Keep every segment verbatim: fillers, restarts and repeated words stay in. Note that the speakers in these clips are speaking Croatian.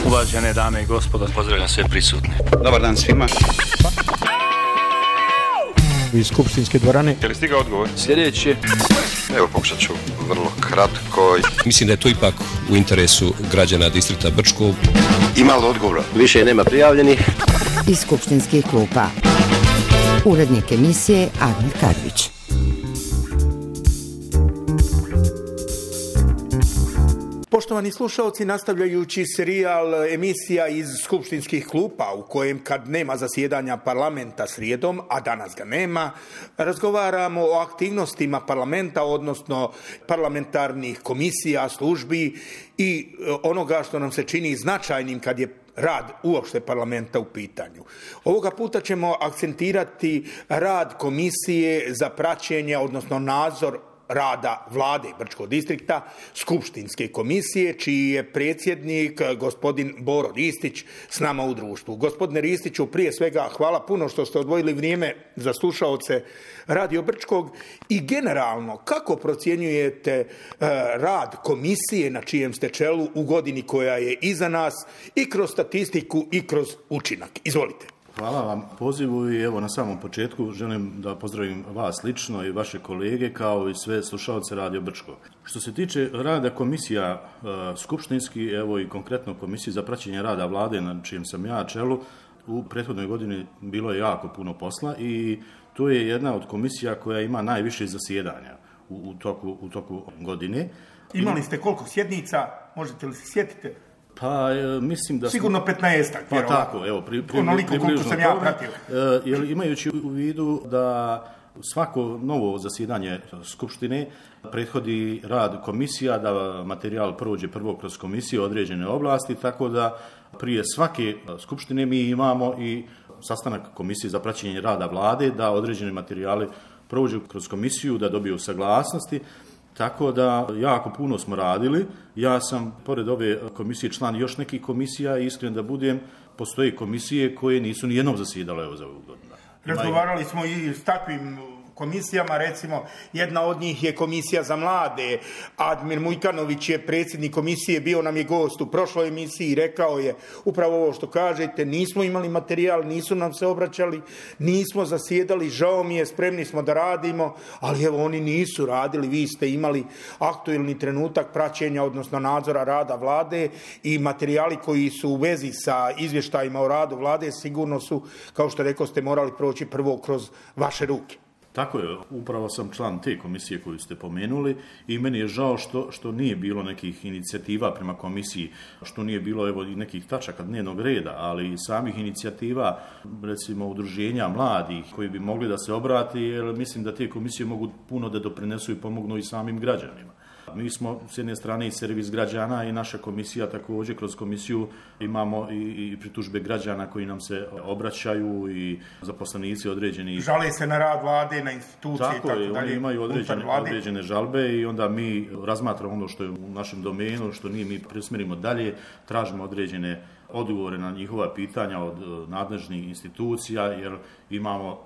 Uvažene dame i gospodo, pozdravljam sve prisutne. Dobar dan svima. Iz skupštinske dvorane. Je li stigao odgovor? Sljedeće. Evo, pokušat ću vrlo kratko. Mislim da je to ipak u interesu građana distrikta Brčko. Ima li odgovora? Više nema prijavljenih. Iz skupštinskih klupa. Urednik emisije Admir Karvić. Poštovani slušalci, nastavljajući serijal emisija iz skupštinskih klupa u kojem kad nema zasjedanja parlamenta srijedom, a danas ga nema, razgovaramo o aktivnostima parlamenta, odnosno parlamentarnih komisija, službi i onoga što nam se čini značajnim kad je rad uopšte parlamenta u pitanju. Ovoga puta ćemo akcentirati rad komisije za praćenje, odnosno nadzor rada vlade Brčkog distrikta, skupštinske komisije, čiji je predsjednik gospodin Boro Ristić s nama u društvu. Gospodine Ristiću, prije svega hvala puno što ste odvojili vrijeme za slušaoce Radio Brčkog i generalno kako procjenjujete rad komisije na čijem ste čelu u godini koja je iza nas i kroz statistiku i kroz učinak. Izvolite. Hvala vam pozivu i evo na samom početku želim da pozdravim vas lično i vaše kolege kao i sve slušalce Radio Brčko. Što se tiče rada komisija e, skupštinski, evo i konkretno komisije za praćenje rada vlade na čijem sam ja čelu, u prethodnoj godini bilo je jako puno posla i to je jedna od komisija koja ima najviše zasjedanja u, u, toku, u toku godine. Imali ste koliko sjednica, možete li se sjetiti? Pa, mislim da... Sigurno petnaestak. Pa tako, evo, pri, pri, onoliko koliko sam ja pratio. Jer imajući u vidu da svako novo zasjedanje skupštine prethodi rad komisija, da materijal prođe prvo kroz komisije određene oblasti, tako da prije svake skupštine mi imamo i sastanak komisije za praćenje rada vlade, da određene materijale prođu kroz komisiju, da dobiju saglasnosti. Tako da jako puno smo radili. Ja sam, pored ove komisije, član još nekih komisija i iskren da budem, postoje komisije koje nisu nijednom zasjedale evo za ovu godinu. Razgovarali smo i s takvim komisijama, recimo jedna od njih je komisija za mlade. Admir Mujkanović je predsjednik komisije, bio nam je gost u prošloj emisiji i rekao je upravo ovo što kažete, nismo imali materijal, nisu nam se obraćali, nismo zasjedali, žao mi je, spremni smo da radimo, ali evo oni nisu radili, vi ste imali aktuelni trenutak praćenja, odnosno nadzora rada vlade i materijali koji su u vezi sa izvještajima o radu vlade sigurno su, kao što rekao ste, morali proći prvo kroz vaše ruke. Tako je, upravo sam član te komisije koju ste pomenuli i meni je žao što, što nije bilo nekih inicijativa prema komisiji, što nije bilo evo i nekih tačaka dnevnog reda, ali i samih inicijativa, recimo udruženja mladih koji bi mogli da se obrati, jer mislim da te komisije mogu puno da doprinesu i pomognu i samim građanima. Mi smo s jedne strane i servis građana i naša komisija također kroz komisiju imamo i, i pritužbe građana koji nam se obraćaju i zaposlenici određeni. Žale se na rad vlade, na institucije tako i tako je, dalje. Oni imaju određene, određene žalbe i onda mi razmatramo ono što je u našem domenu, što nije mi presmerimo dalje, tražimo određene odgovore na njihova pitanja od nadležnih institucija, jer imamo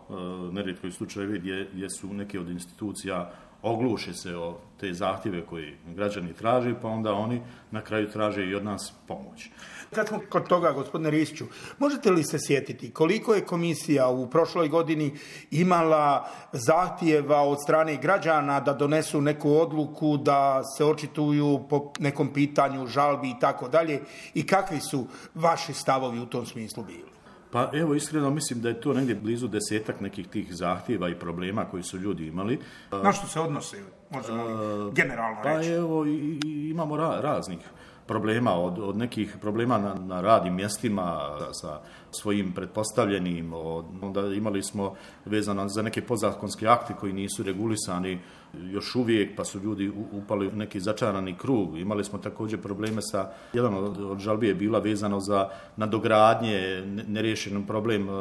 nerijetko i slučajevi gdje, gdje su neke od institucija ogluše se o te zahtjeve koje građani traže, pa onda oni na kraju traže i od nas pomoć. Kad smo kod toga, gospodine Ristiću, možete li se sjetiti koliko je komisija u prošloj godini imala zahtjeva od strane građana da donesu neku odluku, da se očituju po nekom pitanju, žalbi i tako dalje, i kakvi su vaši stavovi u tom smislu bili? Pa evo, iskreno mislim da je to negdje blizu desetak nekih tih zahtjeva i problema koji su ljudi imali. Na što se odnose, možemo li generalno reći? Pa evo, i, i imamo ra, raznih problema, od, od nekih problema na, na radnim mjestima sa svojim pretpostavljenim, od, onda imali smo vezano za neke podzakonske akte koji nisu regulisani još uvijek, pa su ljudi upali u neki začarani krug. Imali smo također probleme sa, jedan od, od žalbi je bila vezano za nadogradnje, neriješen problem e,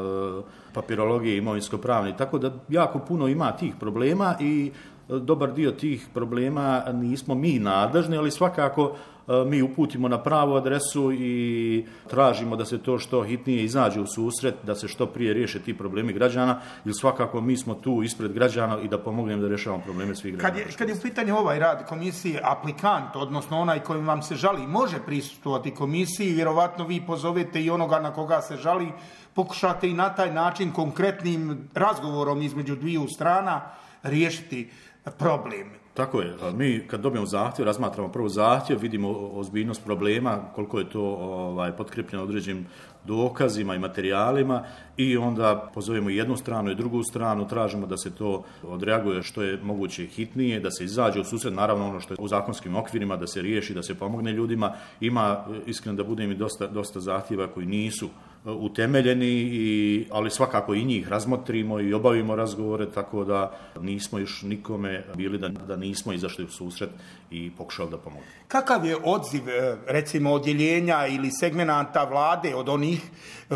papirologije, imovinsko-pravne, tako da jako puno ima tih problema i dobar dio tih problema nismo mi nadležni, ali svakako mi uputimo na pravu adresu i tražimo da se to što hitnije izađe u susret, da se što prije riješe ti problemi građana, jer svakako mi smo tu ispred građana i da pomognemo da rješavamo probleme svih građana. Kad je, kad je u pitanju ovaj rad komisije, aplikant, odnosno onaj koji vam se žali, može prisustvovati komisiji, vjerovatno vi pozovete i onoga na koga se žali, pokušate i na taj način konkretnim razgovorom između dviju strana riješiti problem. Tako je. Mi kad dobijemo zahtjev, razmatramo prvo zahtjev, vidimo ozbiljnost problema, koliko je to ovaj, potkrepljeno određenim dokazima i materijalima i onda pozovemo jednu stranu i drugu stranu, tražimo da se to odreaguje što je moguće hitnije, da se izađe u susret, naravno ono što je u zakonskim okvirima, da se riješi, da se pomogne ljudima. Ima, iskreno da budem, i dosta, dosta zahtjeva koji nisu utemeljeni, i, ali svakako i njih razmotrimo i obavimo razgovore, tako da nismo još nikome bili da, da nismo izašli u susret i pokušali da pomogu. Kakav je odziv, recimo, odjeljenja ili segmenata vlade od onih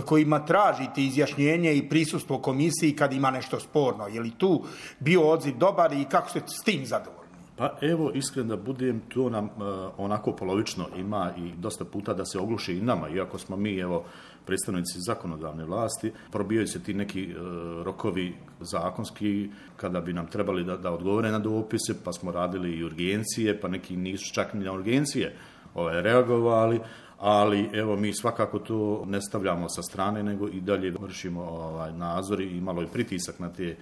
kojima tražite izjašnjenje i prisustvo komisiji kad ima nešto sporno? Je li tu bio odziv dobar i kako ste s tim zadovoljni? Pa evo, iskreno da budem, to nam uh, onako polovično ima i dosta puta da se ogluši i nama, iako smo mi, evo, predstavnici zakonodavne vlasti, probijaju se ti neki uh, rokovi zakonski kada bi nam trebali da, da odgovore na dopise, pa smo radili i urgencije, pa neki nisu čak ni na urgencije ovaj, reagovali, ali evo mi svakako to ne stavljamo sa strane, nego i dalje vršimo ovaj, nadzor i malo i pritisak na te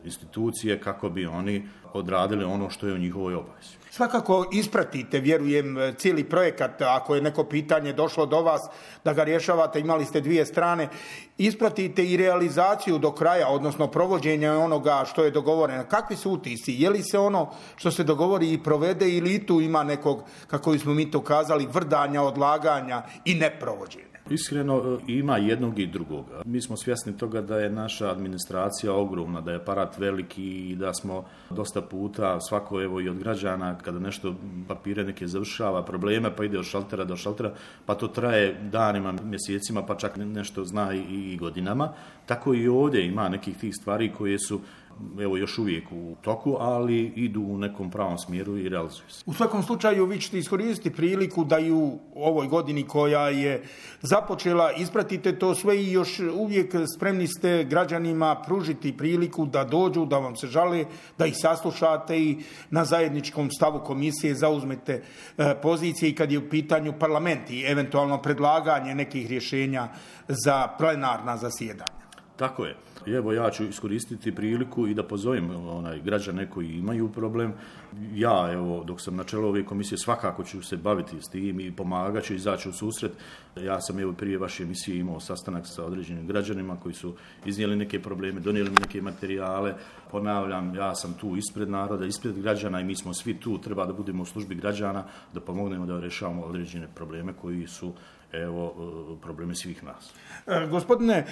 institucije kako bi oni odradili ono što je u njihovoj obavezi. Svakako ispratite, vjerujem, cijeli projekat, ako je neko pitanje došlo do vas, da ga rješavate, imali ste dvije strane, ispratite i realizaciju do kraja, odnosno provođenje onoga što je dogovoreno. Kakvi su utisci? Je li se ono što se dogovori i provede, ili tu ima nekog, kako smo mi to kazali, vrdanja, odlaganja i neprovođenja? Iskreno, ima jednog i drugog. Mi smo svjesni toga da je naša administracija ogromna, da je aparat veliki i da smo dosta puta, svako evo i od građana, kada nešto papire neke završava, probleme, pa ide od šaltera do šaltera, pa to traje danima, mjesecima, pa čak nešto zna i, i godinama. Tako i ovdje ima nekih tih stvari koje su evo još uvijek u toku, ali idu u nekom pravom smjeru i realizuju se. U svakom slučaju vi ćete iskoristiti priliku da i u ovoj godini koja je započela ispratite to sve i još uvijek spremni ste građanima pružiti priliku da dođu, da vam se žale, da ih saslušate i na zajedničkom stavu komisije zauzmete pozicije i kad je u pitanju parlament i eventualno predlaganje nekih rješenja za plenarna zasjedanja. Tako je. Evo, ja ću iskoristiti priliku i da pozovem onaj, građane koji imaju problem. Ja, evo, dok sam na čelu ove komisije, svakako ću se baviti s tim i pomagat ću izaći u susret. Ja sam, evo, prije vaše emisije imao sastanak sa određenim građanima koji su iznijeli neke probleme, donijeli mi neke materijale. Ponavljam, ja sam tu ispred naroda, ispred građana i mi smo svi tu, treba da budemo u službi građana, da pomognemo da rješavamo određene probleme koji su, evo, problemi svih nas. E, gospodine e,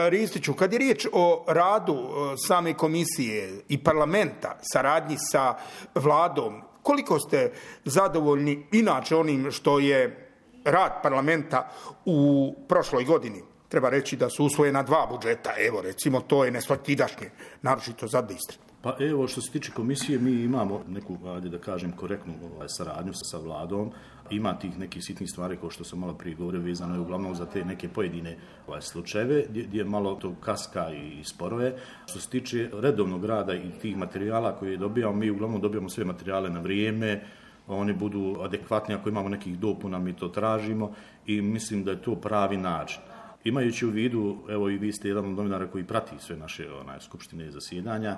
Ristiću, kad je riječ o radu e, same komisije i parlamenta, saradnji sa vladom, koliko ste zadovoljni inače onim što je rad parlamenta u prošloj godini? Treba reći da su usvojena dva budžeta, evo recimo to je nesvakidašnje, naročito za Istru. Pa evo, što se tiče komisije, mi imamo neku, ajde da kažem, korektnu ovaj, saradnju sa vladom. Ima tih nekih sitnih stvari, kao što sam malo prije govorio, vezano je uglavnom za te neke pojedine ovaj, slučajeve, gdje, gdje malo to kaska i sporo je. Što se tiče redovnog rada i tih materijala koje dobijamo, mi uglavnom dobijamo sve materijale na vrijeme, oni budu adekvatni, ako imamo nekih dopuna, mi to tražimo i mislim da je to pravi način. Imajući u vidu, evo i vi ste jedan od novinara koji prati sve naše onaj, skupštine i zasjedanja,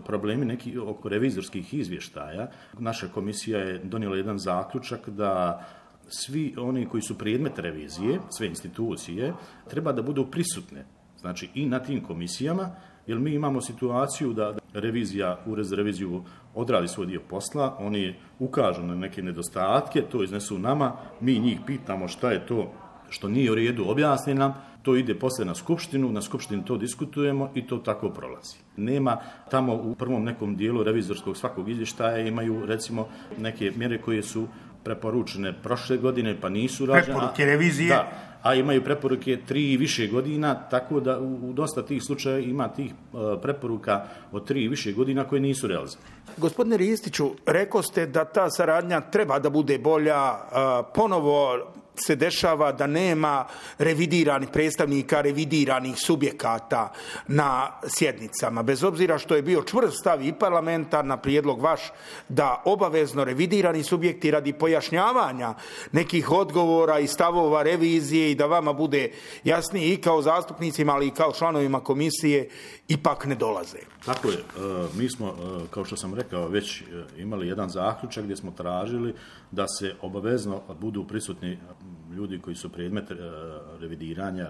problemi neki oko revizorskih izvještaja, naša komisija je donijela jedan zaključak da svi oni koji su predmet revizije, sve institucije, treba da budu prisutne, znači i na tim komisijama, jer mi imamo situaciju da revizija, ured za reviziju odradi svoj dio posla, oni ukažu na neke nedostatke, to iznesu nama, mi njih pitamo šta je to što nije u redu, objasni nam, to ide poslije na skupštinu, na skupštini to diskutujemo i to tako prolazi. Nema tamo u prvom nekom dijelu revizorskog svakog izvještaja imaju recimo neke mjere koje su preporučene prošle godine pa nisu rađene. Preporuke revizije. Da, a imaju preporuke tri i više godina, tako da u, u dosta tih slučaja ima tih uh, preporuka od tri i više godina koje nisu realizovane. Gospodine Ristiću, rekao ste da ta saradnja treba da bude bolja, uh, ponovo se dešava da nema revidiranih predstavnika, revidiranih subjekata na sjednicama. Bez obzira što je bio čvrst stav i parlamenta na prijedlog vaš da obavezno revidirani subjekti radi pojašnjavanja nekih odgovora i stavova revizije i da vama bude jasnije i kao zastupnicima, ali i kao članovima komisije, ipak ne dolaze. Tako je. Mi smo, kao što sam rekao, već imali jedan zaključak gdje smo tražili da se obavezno budu prisutni ljudi koji su predmet revidiranja.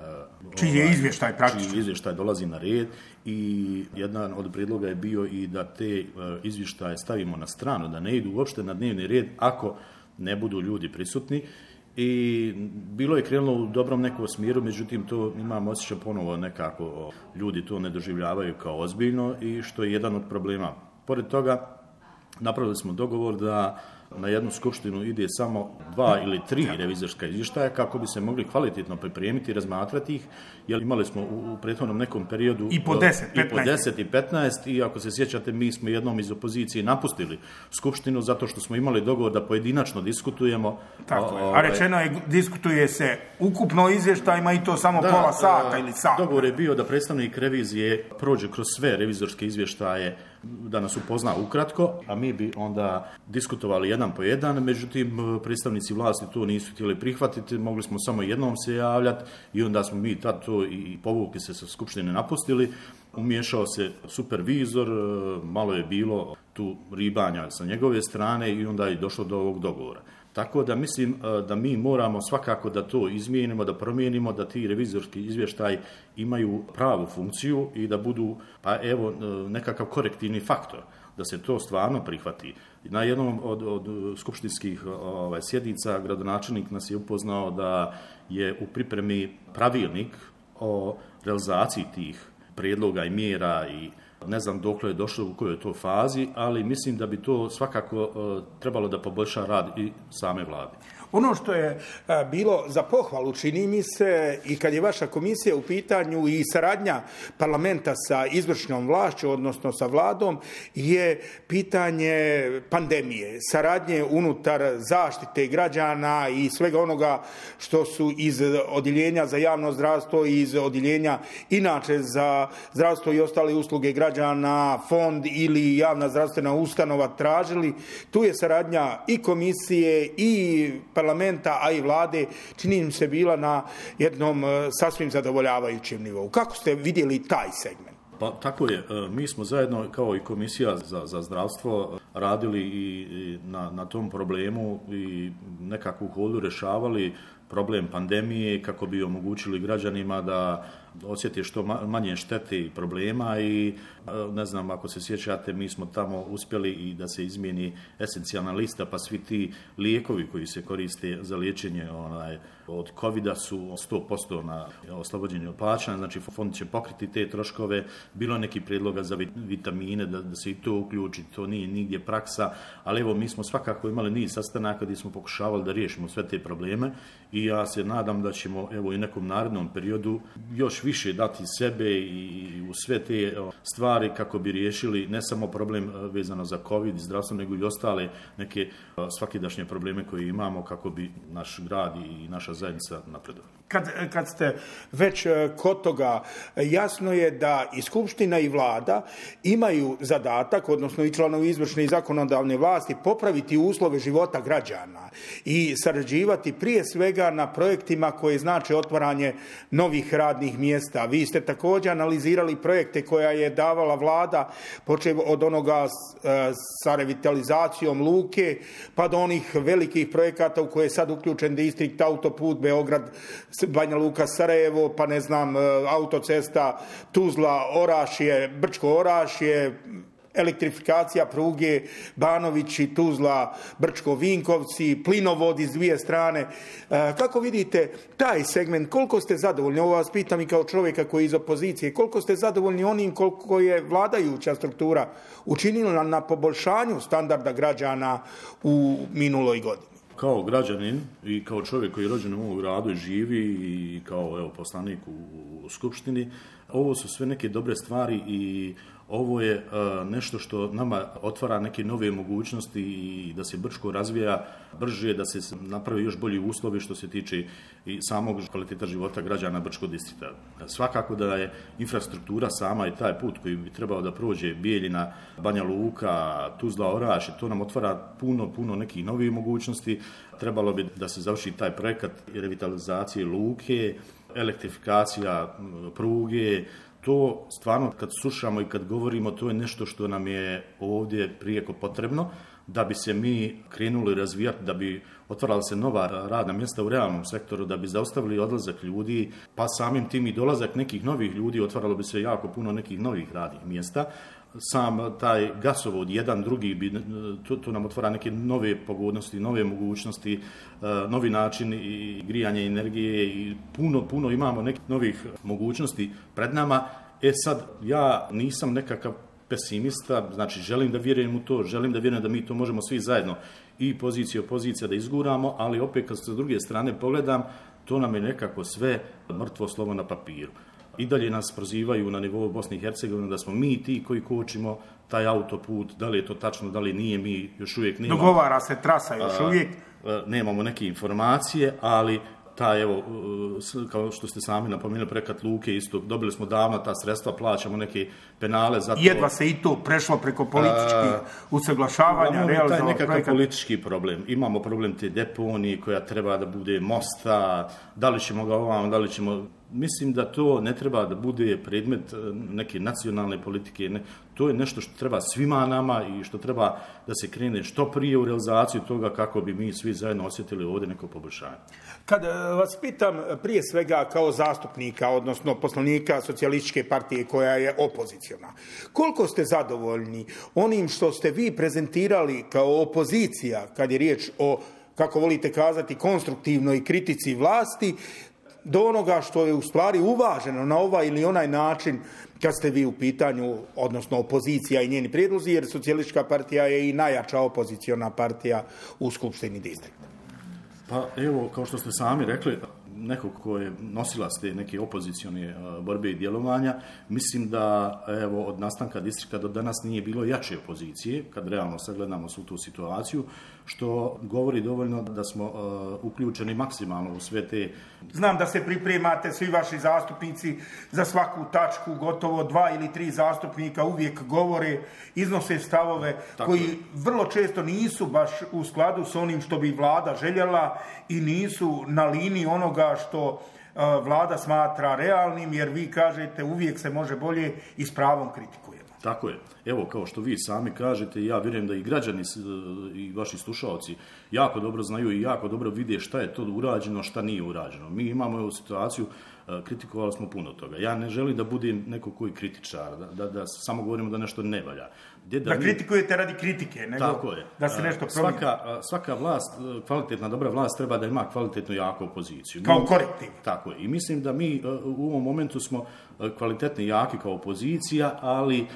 Čiji je izvještaj praktično. Čiji izvještaj dolazi na red i jedan od prijedloga je bio i da te izvještaje stavimo na stranu, da ne idu uopšte na dnevni red ako ne budu ljudi prisutni. I bilo je krenulo u dobrom nekom smjeru, međutim to imam osjećaj ponovo nekako ljudi to ne doživljavaju kao ozbiljno i što je jedan od problema. Pored toga napravili smo dogovor da na jednu skupštinu ide samo dva ili tri revizorska izvještaja kako bi se mogli kvalitetno pripremiti i razmatrati ih, jer imali smo u, u prethodnom nekom periodu i po deset, i po deset i petnaest i ako se sjećate mi smo jednom iz opozicije napustili skupštinu zato što smo imali dogovor da pojedinačno diskutujemo. Tako je. A rečeno je diskutuje se ukupno izvještajima i to samo da, pola sata ili sat. Dogovor je bio da predstavnik revizije prođe kroz sve revizorske izvještaje, da nas upozna ukratko, a mi bi onda diskutovali jedan po jedan, međutim predstavnici vlasti to nisu htjeli prihvatiti, mogli smo samo jednom se javljati i onda smo mi tad to i povukli se sa skupštine napustili. Umiješao se supervizor, malo je bilo tu ribanja sa njegove strane i onda je došlo do ovog dogovora. Tako da mislim da mi moramo svakako da to izmijenimo, da promijenimo, da ti revizorski izvještaj imaju pravu funkciju i da budu, pa evo, nekakav korektivni faktor, da se to stvarno prihvati. Na jednom od, od skupštinskih ovaj, sjednica gradonačelnik nas je upoznao da je u pripremi pravilnik o realizaciji tih prijedloga i mjera i ne znam dokle je došlo u kojoj je to fazi, ali mislim da bi to svakako uh, trebalo da poboljša rad i same vlade. Ono što je a, bilo za pohvalu, čini mi se, i kad je vaša komisija u pitanju i saradnja parlamenta sa izvršnom vlašću, odnosno sa vladom, je pitanje pandemije, saradnje unutar zaštite građana i svega onoga što su iz odjeljenja za javno zdravstvo i iz odjeljenja inače za zdravstvo i ostale usluge građana, fond ili javna zdravstvena ustanova tražili. Tu je saradnja i komisije i parlamenta, a i vlade, čini mi se bila na jednom sasvim zadovoljavajućem nivou. Kako ste vidjeli taj segment? Pa tako je. Mi smo zajedno kao i komisija za, za zdravstvo radili i, i na, na tom problemu i nekako u hodu rješavali problem pandemije kako bi omogućili građanima da osjeti što manje štete i problema i ne znam, ako se sjećate, mi smo tamo uspjeli i da se izmijeni esencijalna lista, pa svi ti lijekovi koji se koriste za liječenje onaj, od covida su sto posto na oslobođenje od plaćanja, znači fond će pokriti te troškove, bilo neki prijedloga za vitamine, da, da se i to uključi, to nije nigdje praksa, ali evo mi smo svakako imali niz sastanaka gdje smo pokušavali da riješimo sve te probleme i ja se nadam da ćemo evo i nekom narednom periodu još više dati sebe i u sve te stvari kako bi riješili ne samo problem vezano za COVID i zdravstvo, nego i ostale neke svakidašnje probleme koje imamo kako bi naš grad i naša zajednica napredovali. Kad, kad ste već kod toga, jasno je da i Skupština i vlada imaju zadatak, odnosno i članovi izvršne i zakonodavne vlasti, popraviti uslove života građana i sarađivati prije svega na projektima koje znače otvaranje novih radnih mjesta. Vi ste također analizirali projekte koja je davala vlada, počev od onoga sa revitalizacijom luke, pa do onih velikih projekata u koje je sad uključen distrikt autoput Beograd, Banja Luka, Sarajevo, pa ne znam, autocesta Tuzla, Orašje, Brčko Orašje, elektrifikacija pruge Banovići, Tuzla, Brčko, Vinkovci, plinovod iz dvije strane. Kako vidite taj segment, koliko ste zadovoljni? Ovo vas pitam i kao čovjeka koji je iz opozicije, koliko ste zadovoljni onim koliko je vladajuća struktura učinila na poboljšanju standarda građana u minuloj godini? kao građanin i kao čovjek koji je rođen u ovom gradu i živi i kao evo, poslanik u, u Skupštini, ovo su sve neke dobre stvari i ovo je uh, nešto što nama otvara neke nove mogućnosti i da se Brčko razvija brže, da se napravi još bolji uslovi što se tiče i samog kvaliteta života građana Brčkog distrikta. Svakako da je infrastruktura sama i taj put koji bi trebao da prođe Bijeljina, Banja Luka, Tuzla, Oraš, to nam otvara puno, puno nekih novih mogućnosti. Trebalo bi da se završi taj projekat revitalizacije luke, elektrifikacija pruge. To stvarno kad slušamo i kad govorimo, to je nešto što nam je ovdje prijeko potrebno da bi se mi krenuli razvijati, da bi otvarala se nova radna mjesta u realnom sektoru, da bi zaustavili odlazak ljudi, pa samim tim i dolazak nekih novih ljudi, otvaralo bi se jako puno nekih novih radnih mjesta. Sam taj gasovod, jedan, drugi, bi, to, to nam otvara neke nove pogodnosti, nove mogućnosti, novi način i grijanja energije i puno, puno imamo nekih novih mogućnosti pred nama. E sad, ja nisam nekakav pesimista, znači želim da vjerujem u to, želim da vjerujem da mi to možemo svi zajedno i pozicija i opozicija da izguramo, ali opet kad se s druge strane pogledam, to nam je nekako sve mrtvo slovo na papiru. I dalje nas prozivaju na nivou Bosne i Hercegovine da smo mi ti koji kočimo taj autoput, da li je to tačno, da li nije, mi još uvijek nemamo. Dogovara se trasa još uvijek. A, a, nemamo neke informacije, ali taj, evo, kao što ste sami napomenuli, projekat luke isto, dobili smo davno ta sredstva, plaćamo neke penale za to. Jedva se i to prešlo preko političkih usaglašavanja, realizovao taj nekakav projekat. Politički problem. Imamo problem te deponije koja treba da bude mosta, da li ćemo ga ovam, da li ćemo... Mislim da to ne treba da bude predmet neke nacionalne politike. Ne. To je nešto što treba svima nama i što treba da se krene što prije u realizaciju toga kako bi mi svi zajedno osjetili ovdje neko poboljšanje. Kad vas pitam prije svega kao zastupnika, odnosno poslanika Socijalističke partije koja je opoziciona, koliko ste zadovoljni onim što ste vi prezentirali kao opozicija, kad je riječ o, kako volite kazati, konstruktivnoj kritici vlasti, do onoga što je u stvari uvaženo na ovaj ili onaj način kad ste vi u pitanju, odnosno opozicija i njeni prijedlozi, jer Socijalistička partija je i najjača opoziciona partija u Skupštini distrikta. Pa evo, kao što ste sami rekli, neko ko je nosilac te neke opozicione borbe i djelovanja, mislim da evo, od nastanka distrikta do danas nije bilo jače opozicije, kad realno sagledamo svu tu situaciju, što govori dovoljno da smo uh, uključeni maksimalno u sve te... Znam da se pripremate svi vaši zastupnici za svaku tačku, gotovo dva ili tri zastupnika uvijek govore, iznose stavove Tako koji je. vrlo često nisu baš u skladu s onim što bi vlada željela i nisu na liniji onoga što uh, vlada smatra realnim, jer vi kažete uvijek se može bolje i s pravom kritikujemo. Tako je. Evo, kao što vi sami kažete, ja vjerujem da i građani i vaši slušalci jako dobro znaju i jako dobro vide šta je to urađeno, šta nije urađeno. Mi imamo ovu situaciju, kritikovali smo puno toga. Ja ne želim da budem neko koji kritičar, da, da, da samo govorimo da nešto ne valja. Da, da mi... kritikujete radi kritike, nego Tako je. da se nešto promijeni. Svaka, svaka vlast, kvalitetna, dobra vlast treba da ima kvalitetnu jaku opoziciju. Kao korektiv. Tako je. I mislim da mi u ovom momentu smo kvalitetni jaki kao opozicija, ali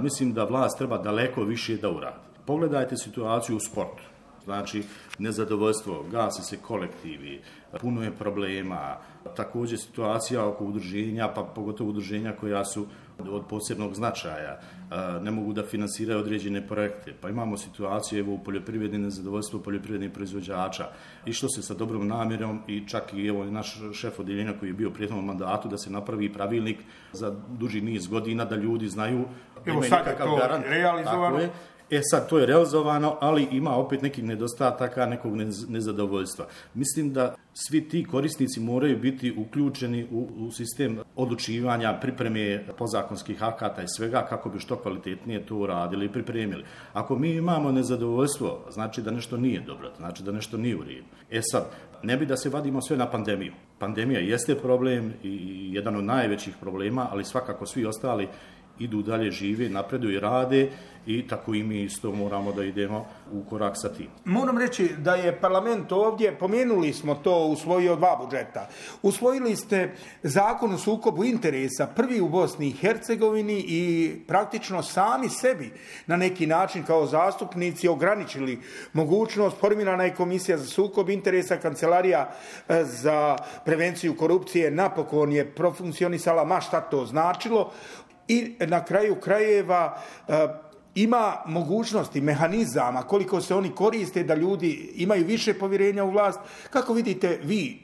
mislim da vlast treba daleko više da uradi. Pogledajte situaciju u sportu. Znači, nezadovoljstvo, gasi se kolektivi, puno je problema, također situacija oko udruženja, pa pogotovo udruženja koja su od posebnog značaja, ne mogu da finansiraju određene projekte, pa imamo situaciju evo, u poljoprivredi, nezadovoljstvo poljoprivrednih proizvođača, išlo se sa dobrom namjerom i čak i evo, naš šef odjeljenja koji je bio u prijetnom mandatu da se napravi pravilnik za duži niz godina, da ljudi znaju, evo sad je to garant, realizovano. E sad, to je realizovano, ali ima opet nekih nedostataka, nekog nezadovoljstva. Mislim da svi ti korisnici moraju biti uključeni u, u sistem odlučivanja, pripreme podzakonskih akata i svega kako bi što kvalitetnije to uradili i pripremili. Ako mi imamo nezadovoljstvo, znači da nešto nije dobro, znači da nešto nije u redu. E sad, ne bi da se vadimo sve na pandemiju. Pandemija jeste problem i jedan od najvećih problema, ali svakako svi ostali idu dalje, žive, napreduju i rade i tako i mi isto moramo da idemo u korak sa tim. Moram reći da je parlament ovdje, pomenuli smo to, usvojio dva budžeta. Usvojili ste zakon o sukobu interesa, prvi u Bosni i Hercegovini i praktično sami sebi na neki način kao zastupnici ograničili mogućnost. Formirana je komisija za sukob interesa, kancelarija za prevenciju korupcije napokon je profunkcionisala, ma šta to značilo. I na kraju krajeva ima mogućnosti, mehanizama, koliko se oni koriste da ljudi imaju više povjerenja u vlast. Kako vidite vi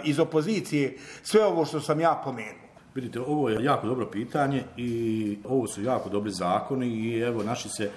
iz opozicije sve ovo što sam ja pomenuo? Vidite, ovo je jako dobro pitanje i ovo su jako dobri zakoni i evo naši se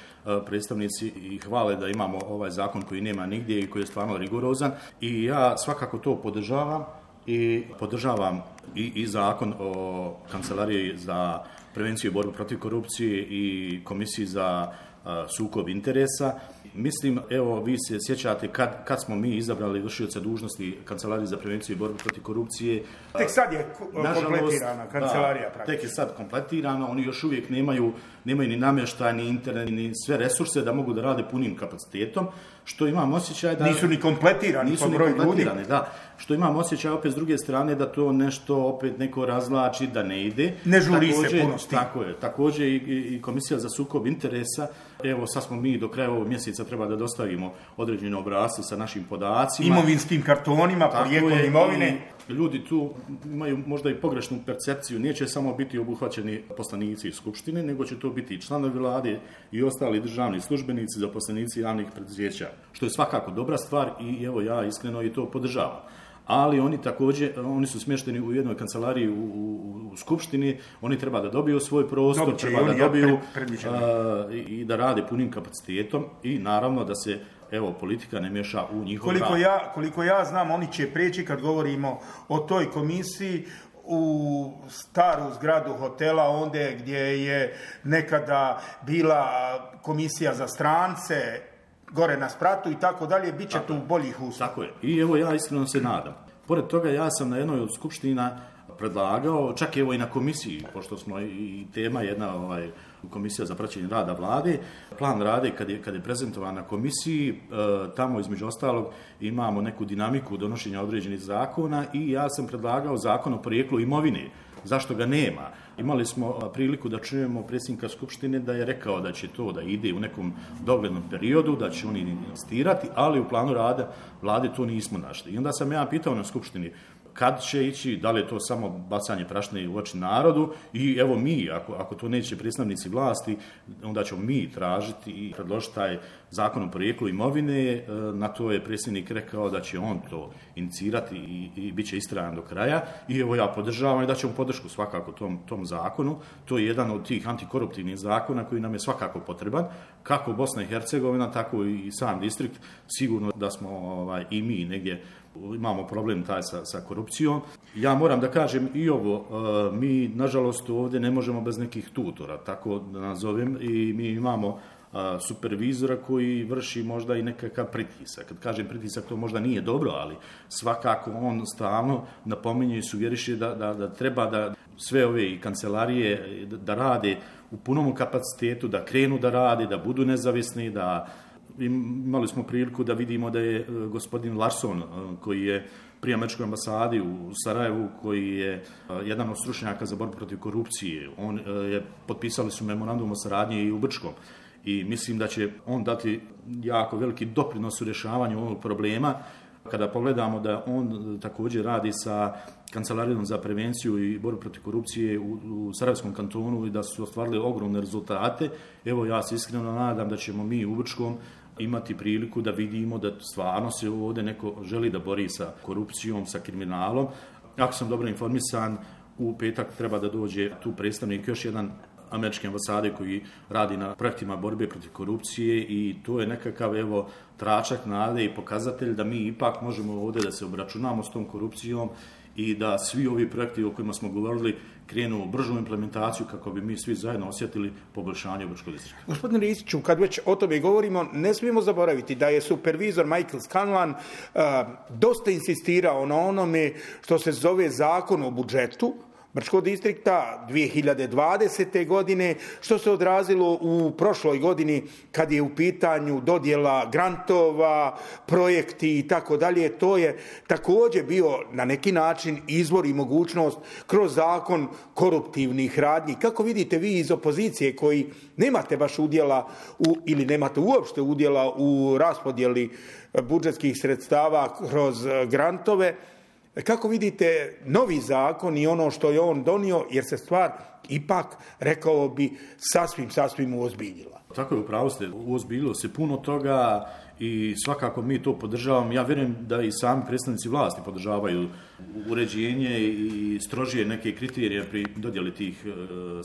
predstavnici i hvale da imamo ovaj zakon koji nema nigdje i koji je stvarno rigorozan i ja svakako to podržavam i podržavam i, i zakon o kancelariji za prevenciju i borbu protiv korupcije i komisiji za a, sukob interesa. Mislim, evo, vi se sjećate kad, kad smo mi izabrali vršioca dužnosti kancelarije za prevenciju i borbu protiv korupcije. Tek sad je kompletirana kancelarija. Da, tek je sad kompletirana, oni još uvijek nemaju, nemaju ni namještaj, ni internet, ni sve resurse da mogu da rade punim kapacitetom, što imam osjećaj da... Nisu ni kompletirani nisu po broju ljudi. Da, što imam osjećaj opet s druge strane da to nešto opet neko razlači, da ne ide. Ne žuri također, se puno s tim. Tako je, također i, i komisija za sukob interesa, evo sad smo mi do kraja ovog mjeseca treba da dostavimo određene obrasce sa našim podacima. Imovinskim kartonima, porijeklom imovine. Ljudi tu imaju možda i pogrešnu percepciju, neće samo biti obuhvaćeni poslanici iz Skupštine, nego će to biti i članovi vlade i ostali državni službenici, zaposlenici javnih preduzeća, što je svakako dobra stvar i evo ja iskreno i to podržavam. Ali oni također, oni su smješteni u jednoj kancelariji u, u, u Skupštini, oni treba da dobiju svoj prostor, Dobre, treba da dobiju pre, a, i da rade punim kapacitetom i naravno da se evo, politika ne miješa u njihov koliko rad. Ja, koliko ja znam, oni će preći, kad govorimo o toj komisiji, u staru zgradu hotela, ondje gdje je nekada bila komisija za strance, gore na spratu i tako dalje, bit će tu boljih uslova. Tako je. I evo ja iskreno se nadam. Pored toga ja sam na jednoj od skupština predlagao, čak evo i na komisiji, pošto smo i tema jedna ovaj, komisija za praćenje rada vlade, plan rade kad je, kad je prezentovan na komisiji, e, tamo između ostalog imamo neku dinamiku donošenja određenih zakona i ja sam predlagao zakon o porijeklu imovine. Zašto ga nema? Imali smo priliku da čujemo predsjednika Skupštine da je rekao da će to da ide u nekom doglednom periodu, da će oni investirati, ali u planu rada vlade to nismo našli. I onda sam ja pitao na Skupštini kad će ići, da li je to samo bacanje prašine u oči narodu i evo mi, ako, ako to neće predstavnici vlasti, onda ćemo mi tražiti i predložiti taj zakon o porijeklu imovine. Na to je predsjednik rekao da će on to inicirati i, i bit će istrajan do kraja i evo ja podržavam i da ćemo podršku svakako tom, tom zakonu. To je jedan od tih antikoruptivnih zakona koji nam je svakako potreban, kako Bosna i Hercegovina, tako i sam distrikt. Sigurno da smo ovaj, i mi negdje imamo problem taj sa, sa korupcijom. Ja moram da kažem i ovo, mi nažalost ovdje ne možemo bez nekih tutora, tako da nazovem, i mi imamo supervizora koji vrši možda i nekakav pritisak. Kad kažem pritisak, to možda nije dobro, ali svakako on stalno napominje i suvjeriše da, da, da treba da sve ove i kancelarije da, da rade u punom kapacitetu, da krenu da rade, da budu nezavisni, da imali smo priliku da vidimo da je gospodin Larsson, koji je pri američkoj ambasadi u Sarajevu, koji je jedan od stručnjaka za borbu protiv korupcije, on je, potpisali su memorandum o saradnji i u Brčkom. I mislim da će on dati jako veliki doprinos u rješavanju ovog problema. Kada pogledamo da on također radi sa Kancelarijom za prevenciju i borbu protiv korupcije u, u Sarajevskom kantonu i da su ostvarili ogromne rezultate, evo ja se iskreno nadam da ćemo mi u Brčkom imati priliku da vidimo da stvarno se ovdje neko želi da bori sa korupcijom, sa kriminalom. Ako sam dobro informisan, u petak treba da dođe tu predstavnik još jedan američke ambasade koji radi na projektima borbe protiv korupcije i to je nekakav evo tračak nade i pokazatelj da mi ipak možemo ovdje da se obračunamo s tom korupcijom i da svi ovi projekti o kojima smo govorili krenu u bržu implementaciju kako bi mi svi zajedno osjetili poboljšanje u Brčkog distrikta. Gospodine Ristiću, kad već o tome govorimo, ne smijemo zaboraviti da je supervizor Michael Scanlan uh, dosta insistirao na onome što se zove zakon o budžetu, Brčkog distrikta dvije hiljade dvadesete. godine, što se odrazilo u prošloj godini kad je u pitanju dodjela grantova, projekti i tako dalje. To je također bio na neki način izvor i mogućnost kroz zakon koruptivnih radnji. Kako vidite vi iz opozicije koji nemate baš udjela u, ili nemate uopšte udjela u raspodjeli budžetskih sredstava kroz grantove, kako vidite novi zakon i ono što je on donio, jer se stvar ipak, rekao bi, sasvim, sasvim uozbiljila? Tako je, upravo ste, uozbiljilo se puno toga i svakako mi to podržavamo. Ja vjerujem da i sami predstavnici vlasti podržavaju uređenje i strožije neke kriterije pri dodjeli tih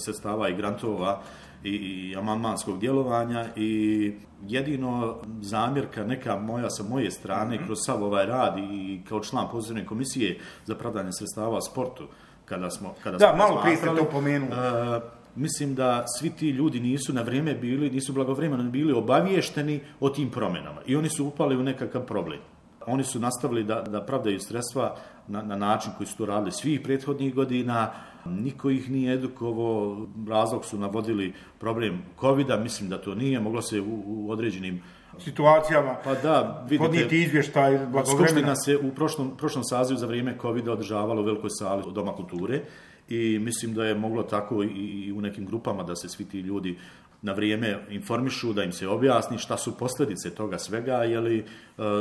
sredstava i grantova i amandmanskog djelovanja, i jedino zamjerka neka moja sa moje strane kroz sav ovaj rad i kao član pozivne komisije za pravdanje sredstava sportu, kada smo kada da, smo malo prije ste to pomenuli. Uh, mislim da svi ti ljudi nisu na vrijeme bili, nisu blagovremeno bili obaviješteni o tim promjenama i oni su upali u nekakav problem. Oni su nastavili da, da pravdaju sredstva na, na način koji su to radili svih prethodnih godina. Niko ih nije edukovao, razlog su navodili problem kovida, mislim da to nije, moglo se u, u određenim situacijama pa da, vidite, podnijeti izvještaj blagovremena. Skupština se u prošlom, prošlom sazivu za vrijeme kovida održavala u velikoj sali Doma kulture i mislim da je moglo tako i, i u nekim grupama da se svi ti ljudi na vrijeme informišu, da im se objasni šta su posljedice toga svega, je li e,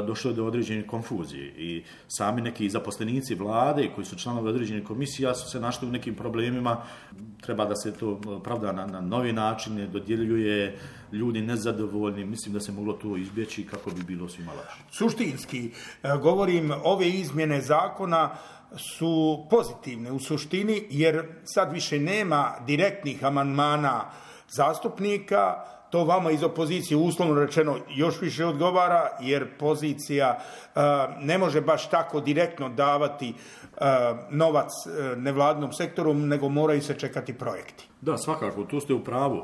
došlo do određene konfuzije. I sami neki zaposlenici vlade koji su članovi određenih komisija su se našli u nekim problemima. Treba da se to pravda na, na novi način, dodjeljuje, ljudi nezadovoljni. Mislim da se moglo to izbjeći kako bi bilo svima lakše. Suštinski, govorim, ove izmjene zakona su pozitivne u suštini, jer sad više nema direktnih amandmana zastupnika. To vama iz opozicije uslovno rečeno još više odgovara, jer pozicija uh, ne može baš tako direktno davati uh, novac uh, nevladinom sektoru, nego moraju se čekati projekti. Da, svakako, tu ste u pravu.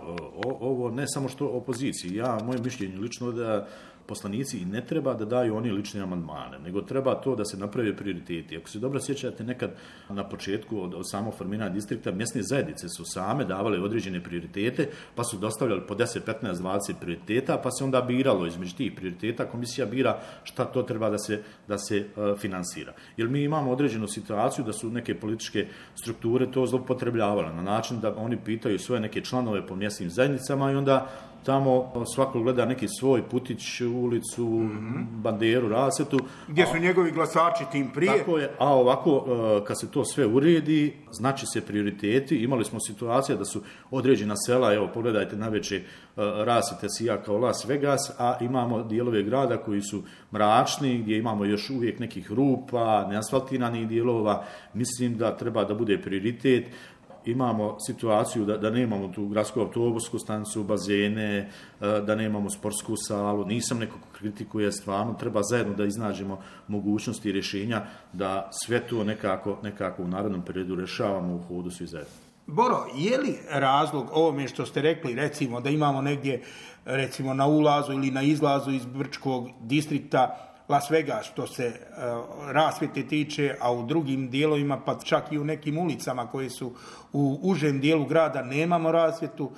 O, ovo ne samo što opoziciji. Ja, moje mišljenje lično da poslanici i ne treba da daju oni lične amandmane, nego treba to da se naprave prioriteti. Ako se dobro sjećate, nekad na početku od, od samog formiranja distrikta, mjesne zajednice su same davale određene prioritete, pa su dostavljali po deset, petnaest, dvadeset prioriteta, pa se onda biralo između tih prioriteta. Komisija bira šta to treba da se, da se uh, finansira. Jer mi imamo određenu situaciju da su neke političke strukture to zloupotrebljavale na način da oni pitaju svoje neke članove po mjesnim zajednicama i onda tamo svako gleda neki svoj putić, ulicu, mm-hmm. banderu, rasvetu. Gdje su a, njegovi glasači tim prije. Tako je, a ovako kad se to sve uredi, znači se prioriteti. Imali smo situacija da su određena sela, evo pogledajte navečer rasvete sija kao Las Vegas, a imamo dijelove grada koji su mračni, gdje imamo još uvijek nekih rupa, neasfaltiranih dijelova. Mislim da treba da bude prioritet. Imamo situaciju da, da nemamo tu gradsku autobusku stanicu, bazene, da nemamo sportsku salu. Nisam neko ko kritikuje, stvarno treba zajedno da iznađemo mogućnosti i rješenja da sve to nekako, nekako u narednom periodu rješavamo u hodu svi zajedno. Boro, je li razlog ovome što ste rekli, recimo da imamo negdje recimo na ulazu ili na izlazu iz Brčkog distrikta Las Vegas što se uh, rasvjete tiče, a u drugim dijelovima, pa čak i u nekim ulicama koje su u užem dijelu grada nemamo rasvjetu.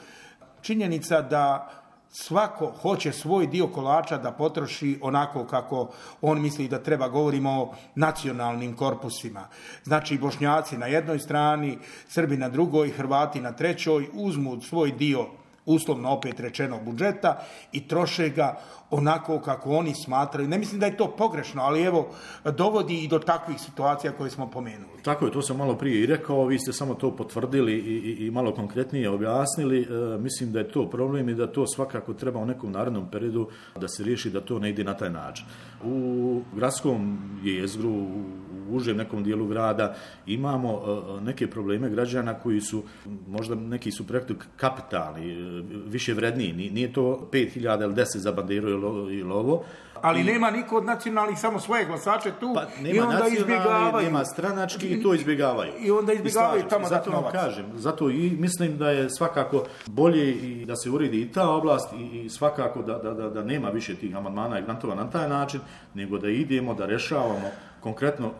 Činjenica da svako hoće svoj dio kolača da potroši onako kako on misli da treba. Govorimo o nacionalnim korpusima. Znači Bošnjaci na jednoj strani, Srbi na drugoj, Hrvati na trećoj, uzmu svoj dio, uslovno opet rečeno, budžeta i troše ga onako kako oni smatraju. Ne mislim da je to pogrešno, ali evo, dovodi i do takvih situacija koje smo pomenuli. Tako je, to sam malo prije i rekao, vi ste samo to potvrdili i, i, i malo konkretnije objasnili. E, mislim da je to problem i da to svakako treba u nekom narednom periodu da se riješi, da to ne ide na taj način. U gradskom jezgru, u užem nekom dijelu grada imamo e, neke probleme građana koji su, možda neki su projekti kapitalni, e, više vredniji. Nije to pet hiljada ili deset za banderu ili ovo. Ali I, nema niko od nacionalnih, samo svoje glasače tu, pa, i onda izbjegavaju. Nema stranački i to izbjegavaju. I onda izbjegavaju tamo dati novac. Zato vam kažem, zato i mislim da je svakako bolje i da se uredi i ta oblast i, i svakako da, da, da, da nema više tih amandmana i grantova na taj način, nego da idemo, da rešavamo konkretno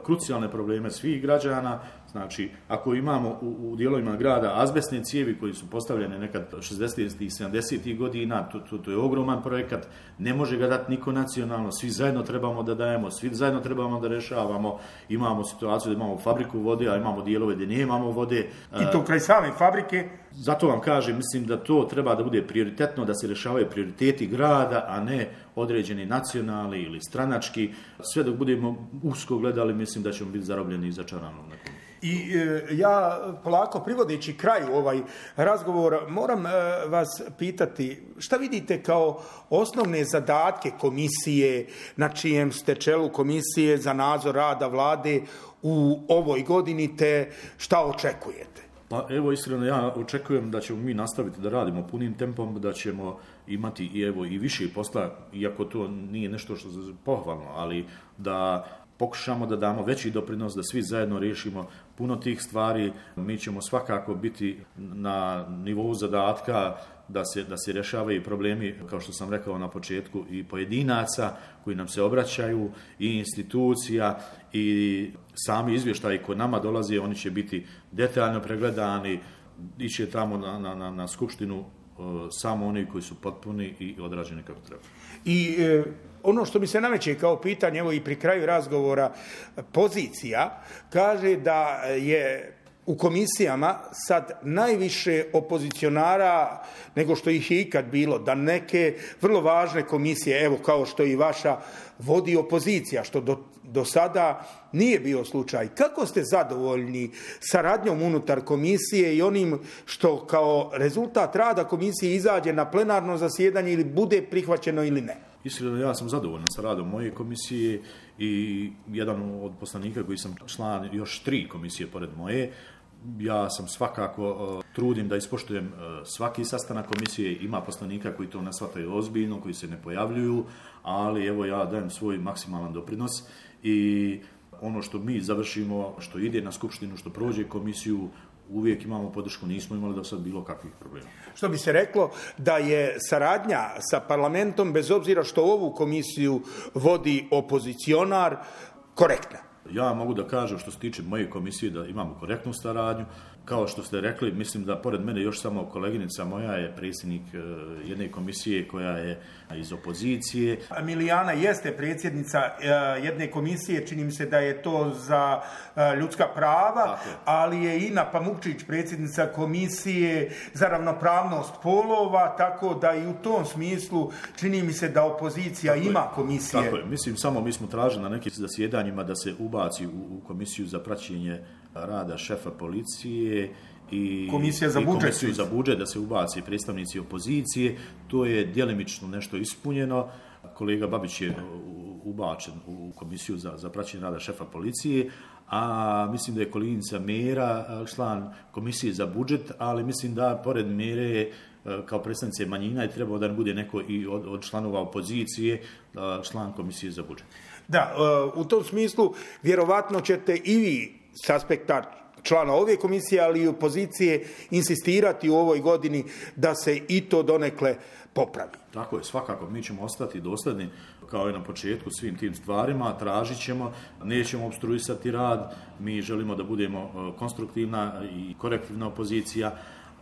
krucijalne probleme svih građana. Znači, ako imamo u, u dijelovima grada azbestne cijevi koji su postavljene nekad šezdesetih i sedamdesetih godina, to, to, to je ogroman projekat, ne može ga dati niko nacionalno, svi zajedno trebamo da dajemo, svi zajedno trebamo da rešavamo. Imamo situaciju da imamo fabriku vode, a imamo dijelove gdje nemamo vode. I to kraj same fabrike. Zato vam kažem, mislim da to treba da bude prioritetno, da se rešavaju prioriteti grada, a ne određeni nacionalni ili stranački. Sve dok budemo usko gledali, mislim da ćemo biti zarobljeni i začarani u nekom. I e, ja polako privodeći kraju ovaj razgovor moram e, vas pitati šta vidite kao osnovne zadatke komisije na čijem ste čelu komisije za nadzor rada vlade u ovoj godini te šta očekujete? Pa evo iskreno ja očekujem da ćemo mi nastaviti da radimo punim tempom, da ćemo imati i evo i više posla, iako to nije nešto što je pohvalno, ali da pokušamo da damo veći doprinos, da svi zajedno riješimo puno tih stvari. Mi ćemo svakako biti na nivou zadatka da se, da se rješavaju problemi, kao što sam rekao na početku, i pojedinaca koji nam se obraćaju, i institucija, i sami izvještaji koji nama dolaze, oni će biti detaljno pregledani, iće tamo na, na, na, na skupštinu samo oni koji su potpuni i odrađeni kako treba. I e, ono što mi se nameće kao pitanje, evo i pri kraju razgovora, pozicija kaže da je u komisijama sad najviše opozicionara nego što ih je ikad bilo, da neke vrlo važne komisije, evo kao što i vaša, vodi opozicija, što do, do sada nije bio slučaj. Kako ste zadovoljni saradnjom unutar komisije i onim što kao rezultat rada komisije izađe na plenarno zasjedanje ili bude prihvaćeno ili ne? Iskreno, ja sam zadovoljan sa radom moje komisije i jedan od poslanika koji sam član još tri komisije pored moje. Ja sam svakako uh, trudim da ispoštujem uh, svaki sastanak komisije. Ima poslanika koji to ne shvataju ozbiljno, koji se ne pojavljuju, ali evo ja dajem svoj maksimalan doprinos i ono što mi završimo, što ide na skupštinu, što prođe komisiju, uvijek imamo podršku, nismo imali do sad bilo kakvih problema. Što bi se reklo da je saradnja sa parlamentom, bez obzira što ovu komisiju vodi opozicionar, korektna? Ja mogu da kažem što se tiče moje komisije da imamo korektnu saradnju. Kao što ste rekli, mislim da pored mene još samo koleginica moja je predsjednik jedne komisije koja je iz opozicije. Milijana jeste predsjednica jedne komisije, čini mi se da je to za ljudska prava, ali je Ina Pamukčić predsjednica komisije za ravnopravnost polova, tako da i u tom smislu čini mi se da opozicija tako ima je, komisije. Tako je, mislim samo mi smo tražili na nekim zasjedanjima da se ubaci u, u komisiju za praćenje rada šefa policije i komisija za i budžet, komisiju za budžet da se ubaci predstavnici opozicije. To je djelimično nešto ispunjeno. Kolega Babić je ubačen u komisiju za, za praćenje rada šefa policije, a mislim da je koleginica Mera član komisije za budžet, ali mislim da pored Mere kao predstavnice manjina je trebao da ne bude neko i od, od članova opozicije član komisije za budžet. Da, u tom smislu vjerovatno ćete i vi s aspekta člana ove komisije, ali i opozicije insistirati u ovoj godini da se i to donekle popravi. Tako je, svakako mi ćemo ostati dosljedni kao i na početku svim tim stvarima, tražit ćemo, nećemo obstruisati rad, mi želimo da budemo konstruktivna i korektivna opozicija.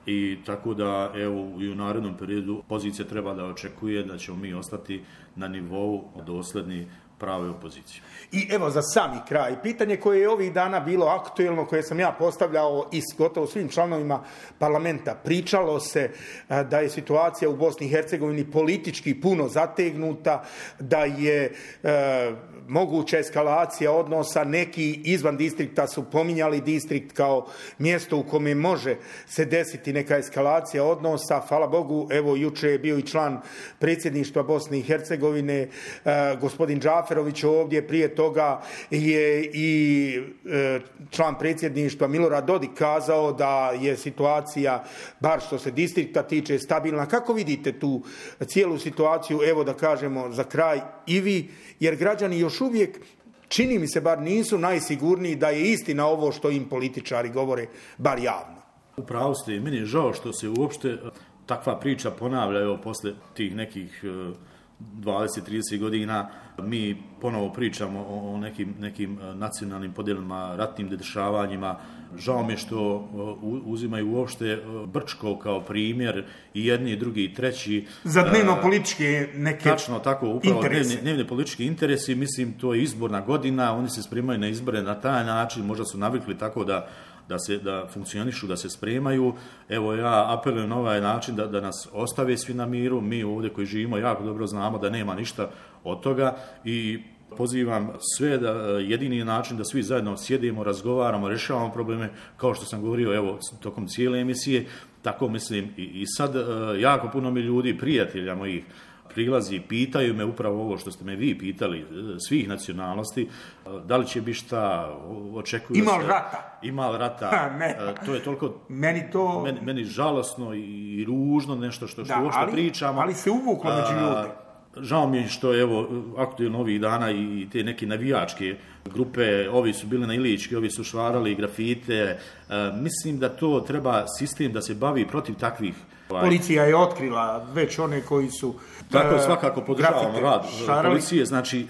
I tako da, evo, i u narednom periodu pozicija treba da očekuje da ćemo mi ostati na nivou dosljedni prave opozicije. I evo za sami kraj, pitanje koje je ovih dana bilo aktuelno, koje sam ja postavljao i gotovo svim članovima parlamenta, pričalo se da je situacija u Bosni i Hercegovini politički puno zategnuta, da je e, moguća eskalacija odnosa, neki izvan distrikta su pominjali distrikt kao mjesto u kome može se desiti neka eskalacija odnosa. Hvala Bogu, evo juče je bio i član predsjedništva Bosne i Hercegovine, e, gospodin Džaferović ovdje, prije toga je i e, član predsjedništva Milorad Dodik kazao da je situacija, bar što se distrikta tiče, stabilna. Kako vidite tu cijelu situaciju, evo da kažemo za kraj i vi, jer građani još uvijek, čini mi se, bar nisu najsigurniji da je istina ovo što im političari govore, bar javno. Upravo ste, meni je žao što se uopšte takva priča ponavlja evo posle tih nekih dvadeset trideset godina mi ponovo pričamo o nekim, nekim nacionalnim podjelama, ratnim dešavanjima. Žao mi je što uzimaju uopšte Brčko kao primjer i jedni, i drugi, i treći. Za dnevno političke neke Tačno, tako, upravo interese. Dnevni, dnevni politički interesi, mislim, to je izborna godina, oni se spremaju na izbore na taj način, možda su navikli tako da da se da funkcionišu, da se spremaju. Evo, ja apelujem na ovaj način da, da nas ostave svi na miru. Mi ovdje koji živimo jako dobro znamo da nema ništa od toga i pozivam sve da jedini način da svi zajedno sjedimo, razgovaramo, rješavamo probleme, kao što sam govorio evo tokom cijele emisije, tako mislim i, i sad jako puno mi ljudi, prijatelja mojih, prilazi i pitaju me upravo ovo što ste me vi pitali, svih nacionalnosti, da li će biti šta, očekuju Ima se... rata. Ima rata. Ha, ne. To je toliko... Meni to... Meni, meni žalosno i ružno nešto što, što da, uopšte ali, pričamo. ali se uvuklo među ljudi. Žao mi je što evo aktualno ovih dana i te neke navijačke grupe, ovi su bili na Ilički, ovi su švarali grafite. E, mislim da to treba sistem da se bavi protiv takvih. Policija je otkrila već one koji su... Tako je, svakako podržavamo rad šarali. Policije, znači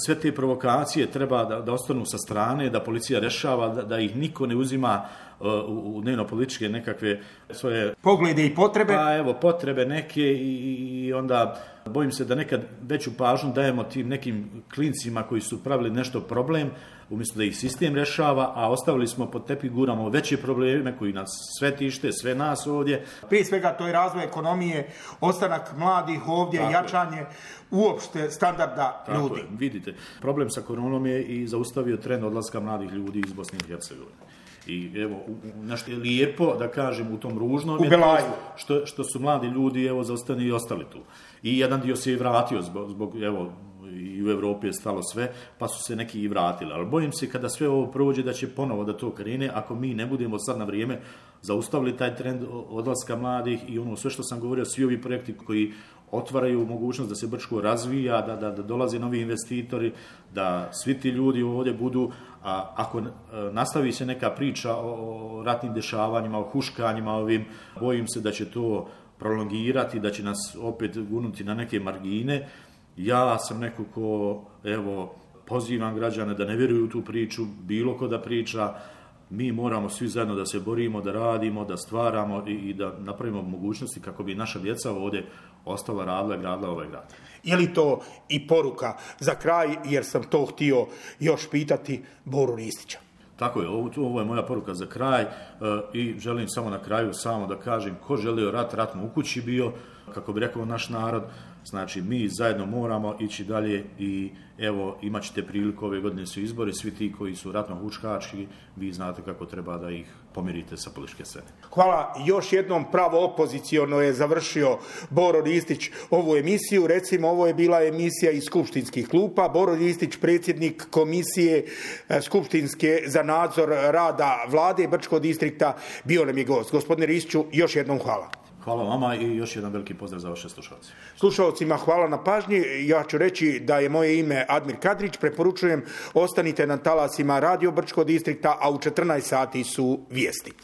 sve te provokacije treba da, da ostanu sa strane, da policija rešava, da, da ih niko ne uzima u, u dnevno-političke nekakve svoje... Poglede i potrebe. Pa evo, potrebe neke i, i onda bojim se da nekad veću pažnju dajemo tim nekim klincima koji su pravili nešto problem, umjesto da ih sistem rešava, a ostavili smo pod tepih, guramo veće probleme koji nas sve tište, sve nas ovdje. Prije svega to je razvoj ekonomije, ostanak mladih ovdje, tako jačanje je. Uopšte standarda tako ljudi. Je, vidite, problem sa koronom je i zaustavio trend odlaska mladih ljudi iz Bosne i Hercegovine. I evo, nešto je lijepo, da kažem, u tom ružnom je što, što su mladi ljudi, evo, zaostani i ostali tu. I jedan dio se je vratio zbog, zbog, evo, i u Evropi je stalo sve, pa su se neki i vratili. Ali bojim se kada sve ovo prođe da će ponovo da to krene, ako mi ne budemo sad na vrijeme zaustavili taj trend odlaska mladih i ono sve što sam govorio, svi ovi projekti koji otvaraju mogućnost da se Brčko razvija, da, da, da dolaze novi investitori, da svi ti ljudi ovdje budu, a ako nastavi se neka priča o ratnim dešavanjima, o huškanjima ovim, bojim se da će to prolongirati, da će nas opet gunuti na neke margine. Ja sam neko ko, evo, pozivam građane da ne vjeruju u tu priču, bilo ko da priča, mi moramo svi zajedno da se borimo, da radimo, da stvaramo i, i da napravimo mogućnosti kako bi naša djeca ovdje ostala radila i gradila ovaj grad. Je li to i poruka za kraj, jer sam to htio još pitati Boru Ristića? Tako je, ovo, ovo je moja poruka za kraj e, i želim samo na kraju samo da kažem ko želio rat, rat mu u kući bio, kako bi rekao naš narod, znači mi zajedno moramo ići dalje i evo imat ćete priliku, ove godine su izbori, svi ti koji su ratno huškački, vi znate kako treba da ih pomirite sa političke scene. Hvala, još jednom pravo opoziciono je završio Boro Ristić ovu emisiju, recimo ovo je bila emisija iz skupštinskih klupa, Boro Ristić, predsjednik komisije skupštinske za nadzor rada vlade Brčkog distrikta, bio nam je gost. Gospodine Ristiću, još jednom hvala. Hvala vama i još jedan veliki pozdrav za vaše slušalce. Slušalcima hvala na pažnji. Ja ću reći da je moje ime Admir Kadrić. Preporučujem, ostanite na talasima Radio Brčkog distrikta, a u četrnaest sati su vijesti.